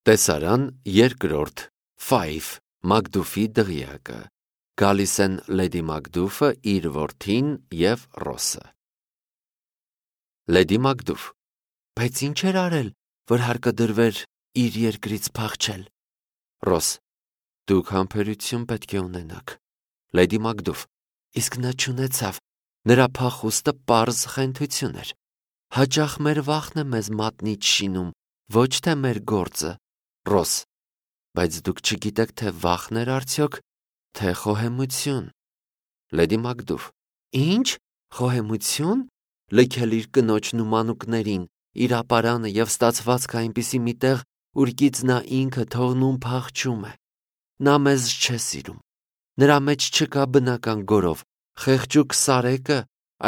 Տեսարան երկրորդ Ֆայվ Մակդուֆի դղյակը։ Գալիս են Լեդի Մակդուֆը, իր որդին և Ռոսը։ Լեդի Մակդուֆ. Բայց ինչ էր արել, որ հարկը դրվեր իր երկրից փախչել։ Ռոս. Դուք համբերություն պետք է ունենաք։ Լեդի Մակդուֆ. Իսկ նա չունեցավ, նրա փախուստը պարզ խենթություն էր։ Հաճախ մեր վախն է մեզ մատնից շինում, ոչ թե մեր գործը։ Ռոս. Բայց դուք չգիտեք, թե վախն էր արդյոք, թե խոհեմություն։ Լեդի Մակդուֆ. Ինչ, խոհեմություն, լքել իր կնոջն ու մանուկներին, իր ապարանը և ստացվածքը այնպիսի մի տեղ, ուր նա ինքը թողնում փախչում է։ Նա մեզ չէ սիրում։ Նրա մեջ չկա բնական գորով, խեղճուկ սարեկը,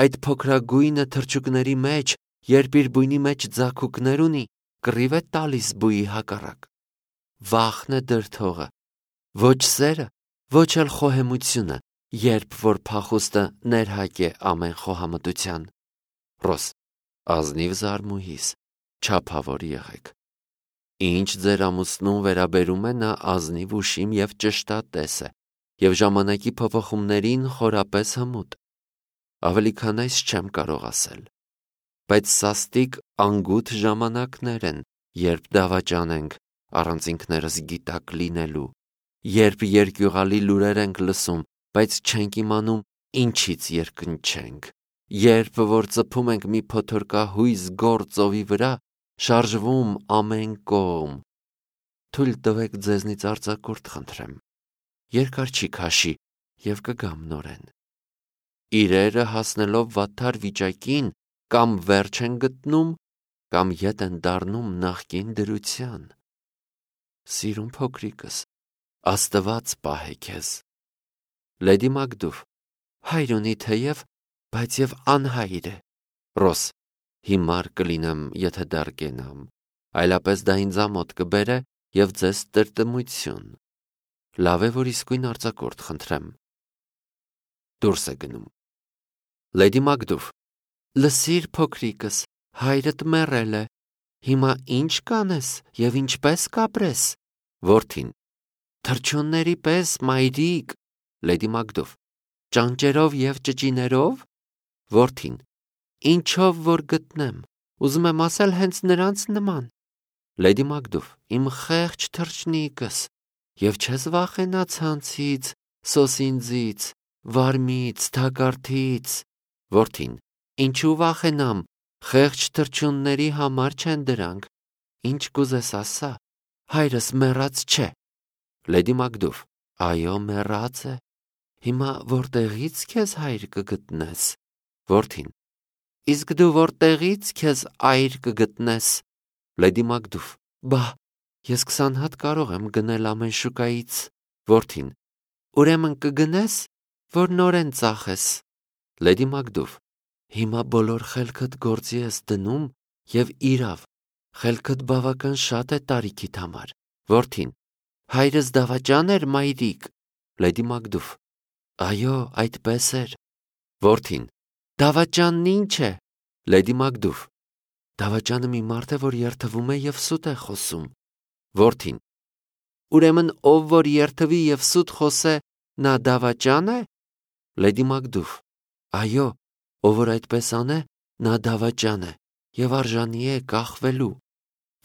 այդ փոքրագույնը թռչուկների մեջ, երբ իր բույնի մեջ ձագուկներ ունի, կռիվ է տալիս բույի հակառակ։ Վախն է դրդողը, ոչ սերը, ոչ էլ խոհեմությունը, երբ որ փախուստը ներհակ է ամեն խոհամտության։ Ռոս. ազնիվ զարմուհիս, չափավոր եղեք։ Ինչ ձեր ամուսնուն վերաբերում է, նա ազնիվ ուշիմ և ճշտատես է, և ժամանակի փոփոխումներին խորապես հմուտ։ Ավելի քան այս չեմ կարող ասել։ Բայց սաստիկ անգութ ժամանակներ են, երբ դավաճան ենք, առանց ինքներս գիտակ լինելու, երբ երկյուղալի լուրեր ենք լսում, բայց չենք իմանում ինչից երկնչենք, երբ որ ծփում ենք մի փոթորկահույզ գոր ծովի վրա, շարժվում ամեն կողմ։ Թույլ տվեք ձեզնից արձակուրդ խնդրեմ։ Երկար չի քաշի և կգամ նորեն։ Իրերը հասնելով վատթար վիճակին կամ վերջ են գտնում, կամ ետ են դառնում նախկին դրության։ Սիրուն փոքրիկս, Աստված պահե քեզ։ Լեդի Մակդուֆ. հայր ունի թեև, բայց և անհայր է։ Ռոս. հիմար կլինեմ, եթե դեռ կենամ, այլապես դա ինձ ամոթ կբերե և ձեզ տրտմություն։ Լավ է, որ իսկույն արձակուրդ խնդրեմ։ Դուրս է գնում։ Լեդի Մակդուֆ. լսիր, փոքրիկս, հայրդ մեռել է, հիմա ինչ կանես և ինչպես կապրես։ Որդին. թռչունների պես, մայրիկ։ Լեդի Մակդուֆ. ճանճերով և ճճիներով։ Որդին. ինչով որ գտնեմ, ուզում եմ ասել հենց նրանց նման։ Լեդի Մակդուֆ. իմ խեղճ թռչնիկս, և չես վախենա ցանցից, սոսինձից, վարմից, թակարդից։ Որդին. ինչու վախենամ, խեղճ թռչունների համար չեն դրանք։ Ինչ կուզես ասա, հայրս մեռած չէ։ Լեդի Մակդուֆ. այո, մեռած է։ Հիմա որտեղից քեզ հայր կգտնես։ Որդին. իսկ դու որտեղից քեզ այր կգտնես։ Լեդի Մակդուֆ. բա, ես 20 հատ կարող եմ գնել ամեն շուկայից։ Որդին. ուրեմն կգնես, որ նորեն ծախես։ Լեդի Մակդուֆ. հիմա բոլոր խելքդ գործի ես դնում և իրավ, խելքդ բավական շատ է տարիքիդ համար։ Որդին. հայրս դավաճան էր, մայրիկ։ Լեդի Մակդուֆ. այո, այդպես էր։ Որդին. դավաճանն ինչ է։ Լեդի Մակդուֆ. դավաճանը մի մարդ է, որ երդվում է և սուտ է խոսում։ Որդին. ուրեմն ով որ երդվի և սուտ խոսե, նա դավաճա՞ն է։ Լեդի Մակդուֆ. այո, ով որ այդպես անե, նա դավաճան է և արժանի է կախվելու։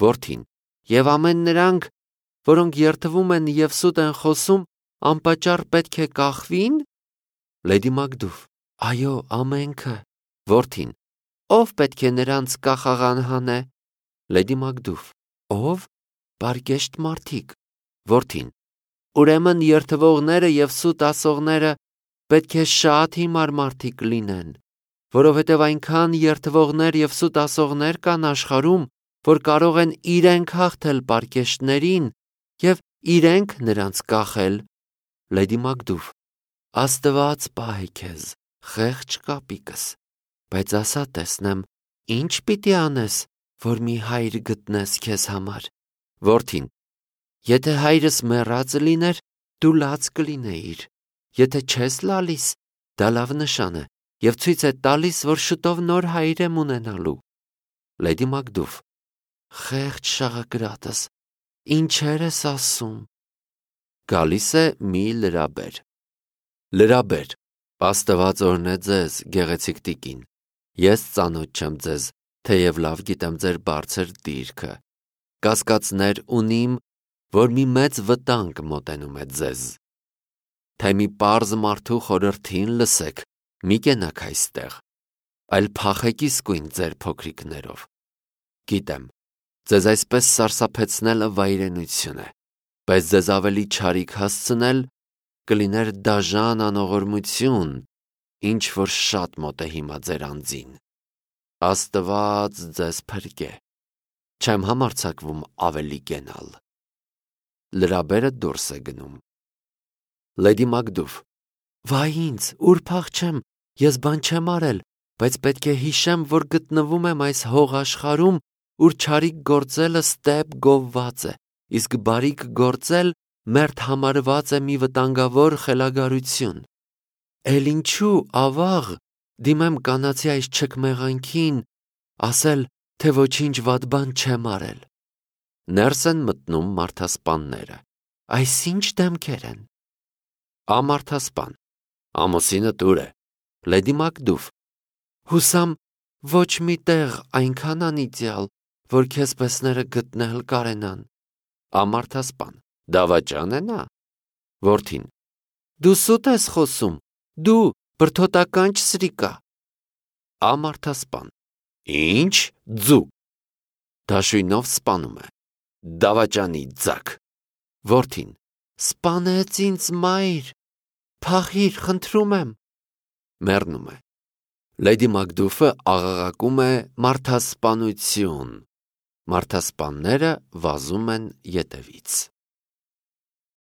Որդին. և ամեն նրանք, որոնք երդվում են և սուտ են խոսում, անպատճառ պետք է կախվի՞ն։ Լեդի Մակդուֆ. այո, ամենքը։ Որդին. ով պետք է նրանց կախաղան հանե։ Լեդի Մակդուֆ. ով։ պարկեշտ մարդիկ։ Որդին. ուրեմն երդվողները և սուտ ասողները պետք է շատ հիմար մարդիկ լինեն, որովհետև այնքան երդվողներ և սուտ ասողներ կան աշխարհում, որ կարող են իրենք հաղթել պարկեշտներին և իրենք նրանց կախել։ Լեդի Մակդուֆ. Աստված պահե քեզ, խեղճ կապիկս, բայց ասա տեսնեմ, ինչ պիտի անես, որ մի հայր գտնես քեզ համար։ Որդին. եթե հայրս մեռած լիներ, դու լաց կլինեիր, եթե չես լալիս, դա լավ նշան է և ցույց է տալիս, որ շուտով նոր հայր եմ ունենալու։ Լեդի Մակդուֆ. խեղճ շաղակրատս, ինչեր ես ասում։ Գալիս է մի լրաբեր։ Լրաբեր, Աստված օրհնե ձեզ, գեղեցիկ տիկին։ Ես ծանոթ չեմ ձեզ, թեև լավ գիտեմ ձեր բարձր դիրքը։ Կասկածներ ունիմ, որ մի մեծ վտանգ մոտենում է ձեզ։ Թե մի պարզ մարդու խորհրդին լսեք, մի կենաք այստեղ, այլ փախեք իսկույն ձեր փոքրիկներով։ Գիտեմ, ձեզ այսպես սարսափեցնելը վայրենություն է, բայց ձեզ ավելի չարիք հասցնել կլիներ դաժան անողորմություն, ինչ որ շատ մոտ է հիմա ձեր անձին։ Աստված ձեզ փրկե։ Չեմ համարձակվում ավելի կենալ։ Լրաբերը դուրս է գնում։ Լեդի Մակդուֆ. Վայ ինձ, ուր փախչեմ, ես բան չեմ արել, բայց պետք է հիշեմ, որ գտնվում եմ այս հողաշխարհում, ուր չարիք գործելը ստեպ գովված է, իսկ բարիք գործել մերթ համարված է մի վտանգավոր խելագարություն։ Էլ ինչու, ավաղ, դիմեմ կանացի այս չքմեղանքին, ասել, թե ոչինչ վատ բան չեմ արել։ Ներս են մտնում մարդասպանները։ Այսինչ դեմքեր են։ Ամարդասպան. ամուսինը տուր է։ Լեդի Մակդուֆ. հուսամ ոչ մի տեղ այնքան անիծյալ, որ քեզ պեսները գտնել կարենան։ Ամարդասպան. դավաճան է նա։ Որդին. դու սուտ ես խոսում, դու բրդոտական չսրիկա։ Ամարդասպան. ինչ ձու։ Դաշույնով սպանում է։ Դավաճանի ձակ։ Որդին. սպանեց ինձ մայր, փախիր, խնդրում եմ։ Մեռնում է։ Լեդի Մակդուֆը աղաղակում է մարդասպանություն։ Մարդասպանները վազում են ետևից։